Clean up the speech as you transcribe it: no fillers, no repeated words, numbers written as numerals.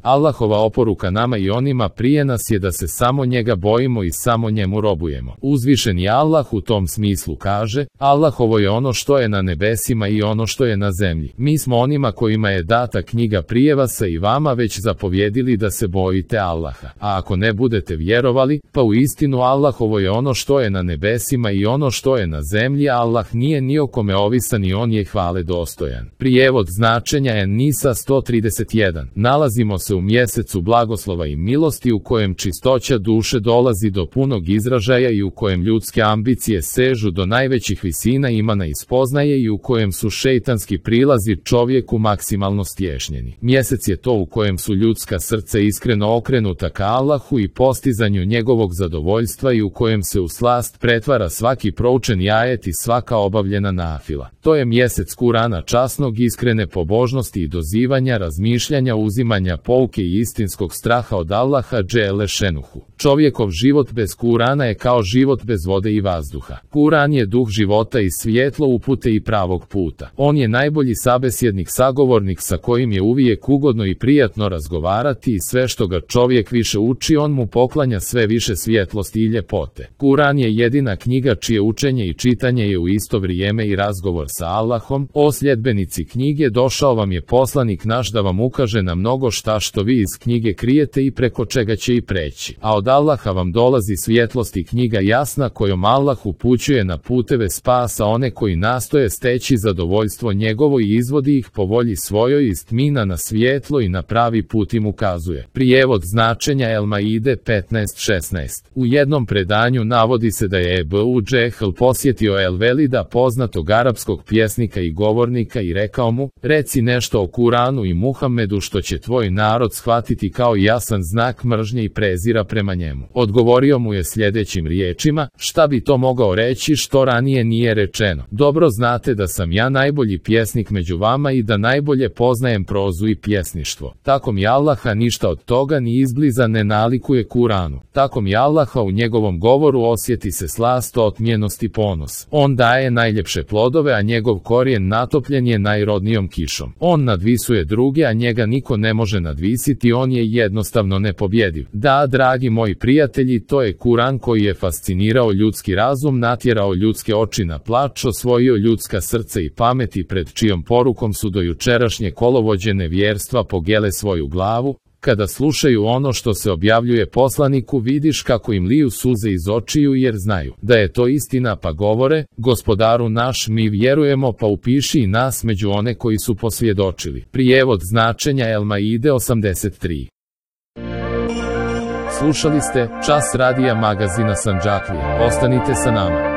Allahova oporuka nama i onima prije nas je da se samo njega bojimo i samo njemu robujemo. Uzvišeni Allah u tom smislu kaže: Allahovo je ono što je na nebesima i ono što je na zemlji. Mi smo onima kojima je data knjiga prije vas i vama već zapovjedili da se bojite Allaha. A ako ne budete vjerovali, pa u istinu Allahovo je ono što je na nebesima i ono što je na zemlji, Allah nije ni o kome ovisan i on je hvale dostojan. Prijevod značenja En-Nisa 131. Nalazimo se u mjesecu blagoslova i milosti u kojem čistoća duše dolazi do punog izražaja i u kojem ljudske ambicije sežu do najvećih visina imana i spoznaje i u kojem su šejtanski prilazi čovjeku maksimalno stješnjeni. Mjesec je to u kojem su ljudska srca iskreno okrenuta ka Allahu i postizanju njegovog zadovoljstva i u kojem se u slast pretvara svaki proučeni ajet i svaka obavljena nafila. To je mjesec Kurana časnog, iskrene pobožnosti i dozivanja, razmišljanja, uzimanja pouke i istinskog straha od Allaha dželle šenuhu. Čovjekov život bez Kurana je kao život bez vode i vazduha. Kuran je duh života i svjetlo upute i pravog puta. On je najbolji sabesjednik, sagovornik sa kojim je uvijek ugodno i prijatno razgovarati i sve što ga čovjek više uči on mu poklanja sve više svjetlosti i ljepote. Kuran je jedina knjiga čije učenje i čitanje je u isto vrijeme i razgovor sa Allahom. O sljedbenici knjige, došao vam je poslanik naš da vam ukaže na mnogo šta što vi iz knjige krijete i preko čega će i preći. A od Allaha vam dolazi svjetlost i knjiga jasna kojom Allah upućuje na puteve spasa one koji nastoje steći zadovoljstvo njegovo i izvodi ih po volji svojoj iz tmina na svjetlo i na pravi put im ukazuje. Prijevod značenja El-Maide 15:16. U jednom predanju navodi se da je Ebu Džehl posjetio El-Velida, poznatog arapskog pjesnika i govornika, i rekao mu: reci nešto o Kuranu i Muhammedu što će tvoj narod shvatiti kao jasan znak mržnje i prezira prema njemu. Odgovorio mu je sljedećim riječima: šta bi to mogao reći što ranije nije rečeno? Dobro znate da sam ja najbolji pjesnik među vama i da najbolje poznajem prozu i pjesništvo. Tako mi Allaha ništa od toga ni izbliza ne nalikuje Kuranu. Tako mi Allaha u njegovom govoru osjeti se slast, otmjenost i ponos. On daje najljepše plodove, a njegov korijen natopljen je najrodnijom kišom. On nadvisuje druge, a njega niko ne može nadvisiti, on je jednostavno nepobjediv. Da, dragi moji prijatelji, to je Kuran koji je fascinirao ljudski razum, natjerao ljudske oči na plač, osvojio ljudska srca i pamet i pred čijom porukom su do jučerašnje kolovođe nevjerstva pogele svoju glavu. Kada slušaju ono što se objavljuje poslaniku, vidiš kako im liju suze iz očiju jer znaju da je to istina, pa govore: Gospodaru naš, mi vjerujemo, pa upiši i nas među one koji su posvjedočili. Prijevod značenja El-Maide 83. Slušali ste čas radija magazina Sandžaklija. Ostanite sa nama.